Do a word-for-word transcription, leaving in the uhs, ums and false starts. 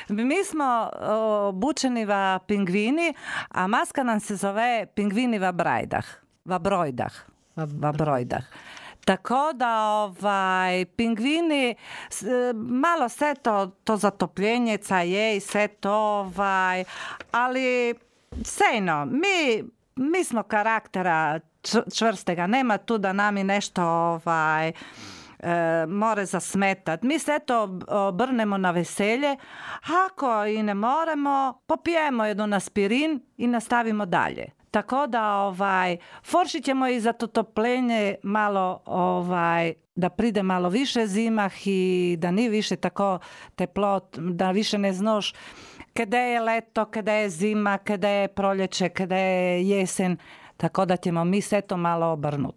Mi smo obučeni va pingvini, a maska nam se zove pingvini va brajdah. Va brojdah. Va brojdah. Tako da ovaj, pingvini, malo se to, to zatopljenjeca je i sve to, ovaj, ali sejno, mi, mi smo karaktera čvrstega, nema tu da nami nešto ovaj, e, more zasmetat. Mi se eto obrnemo na veselje, ako i ne moremo, popijemo jednu aspirin i nastavimo dalje. Tako da ovaj, foršit ćemo i za to topljenje malo, ovaj, da pride malo više zimah i da ni više tako teplo, da više ne znaš kada je leto, kada je zima, kada je proljeće, kada je jesen. Tako da ćemo mi se to malo obrnuti.